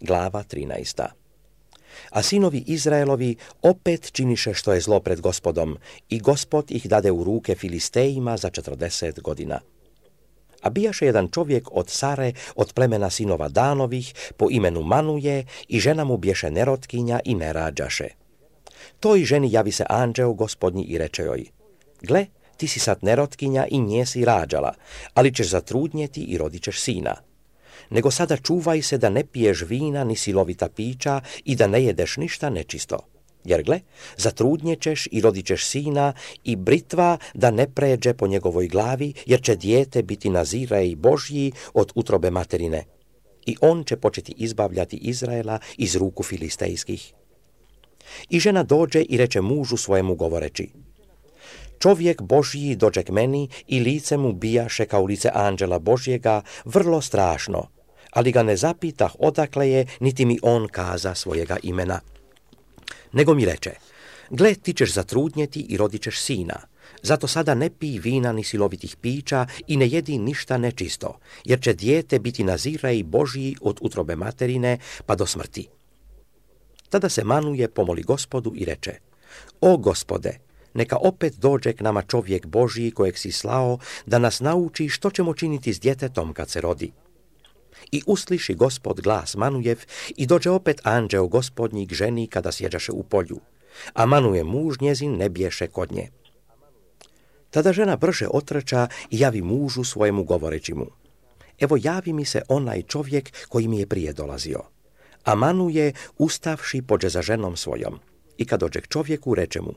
glava 13. A sinovi Izraelovi opet činiše što je zlo pred Gospodom i Gospod ih dade u ruke Filistejima za 40 godina. A bijaše jedan čovjek od Sare, od plemena sinova Danovih, po imenu Manuje, i žena mu bješe nerotkinja i ne rađaše. Toj ženi javi se anđeo Gospodnji i reče joj: gle, ti si sad nerotkinja i nje si rađala, ali ćeš zatrudnjeti i rodit ćeš sina. Nego sada čuvaj se da ne piješ vina ni silovita pića i da ne jedeš ništa nečisto. Jer gle, zatrudnjećeš i rodit ćeš sina i britva da ne pređe po njegovoj glavi, jer će dijete biti Nazirej Božji od utrobe materine. I on će početi izbavljati Izraela iz ruku filistejskih. I žena dođe i reče mužu svojemu govoreći: čovjek Božji dođe k meni i lice mu bijaše kao lice anđela Božjega, vrlo strašno, ali ga ne zapitah odakle je, niti mi on kaza svojega imena. Nego mi reče: gle, ti ćeš zatrudnjeti i rodit ćeš sina, zato sada ne pij vina ni silovitih pića i ne jedi ništa nečisto, jer će dijete biti Nazirej Božji od utrobe materine pa do smrti. Tada se Manuje pomoli Gospodu i reče: o Gospode, neka opet dođe k nama čovjek Božji kojeg si slao da nas nauči što ćemo činiti s djetetom kad se rodi. I usliši Gospod glas Manujev i dođe opet anđeo Gospodnji k ženi kada sjeđaše u polju, a Manuje muž njezin ne bješe kod nje. Tada žena brže otrča i javi mužu svojemu govoreći mu: evo javi mi se onaj čovjek koji mi je prije dolazio. A Manuje ustavši pođe za ženom svojom. I kad dođe k čovjeku, reče mu: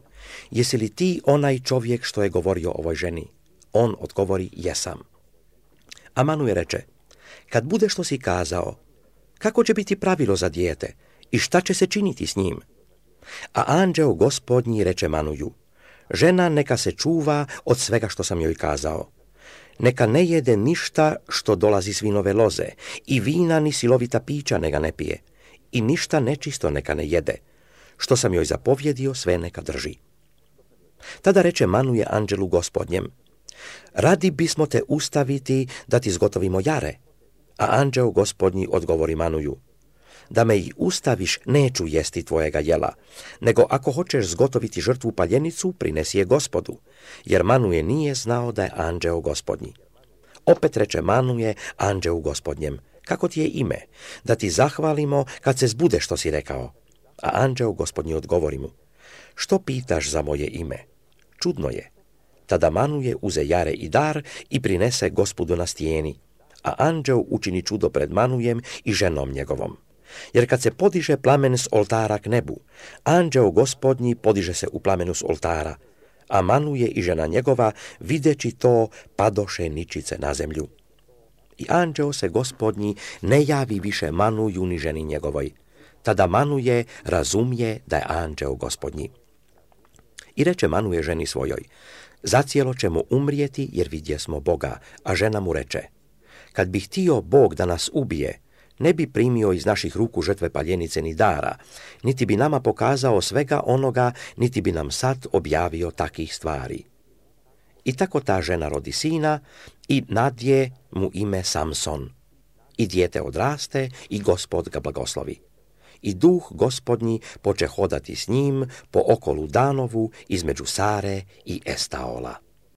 jesi li ti onaj čovjek što je govorio ovoj ženi? On odgovori: jesam. A Manuje reče: kad bude što si kazao, kako će biti pravilo za dijete i šta će se činiti s njim? A anđeo Gospodnji reče Manuju: žena neka se čuva od svega što sam joj kazao. Neka ne jede ništa što dolazi s vinove loze i vina ni silovita pića neka ne pije i ništa nečisto neka ne jede. Što sam joj zapovjedio, sve neka drži. Tada reče Manuje anđelu Gospodnjem: radi bismo te ustaviti da ti zgotovimo jare. A anđeo Gospodnji odgovori Manuju: da me i ustaviš, neću jesti tvojega jela, nego ako hoćeš zgotoviti žrtvu paljenicu, prinesi je Gospodu, jer Manuje nije znao da je anđeo Gospodnji. Opet reče Manuje anđeu Gospodnjem: kako ti je ime, da ti zahvalimo kad se zbude što si rekao? A anđeo Gospodnji odgovori mu: što pitaš za moje ime? Čudno je. Tada Manuje uze jare i dar i prinese Gospodu na stijeni, a anđeo učini čudo pred Manujem i ženom njegovom. Jer kad se podiže plamen s oltara k nebu, anđeo Gospodnji podiže se u plamenu s oltara, a Manuje i žena njegova, videći to, padoše ničice na zemlju. I anđeo se Gospodnji ne javi više Manuju ni ženi njegovoj. Tada Manuje razumije da je anđeo Gospodnji. I reče Manuje ženi svojoj: zacijelo ćemo umrijeti jer vidjesmo Boga. A žena mu reče: kad bi htio Bog da nas ubije, ne bi primio iz naših ruku žrtve paljenice ni dara, niti bi nama pokazao svega onoga, niti bi nam sad objavio takih stvari. I tako ta žena rodi sina i nadje mu ime Samson. I dijete odraste i Gospod ga blagoslovi. I duh Gospodnji poče hodati s njim po okolu Danovu između Sare i Estaola.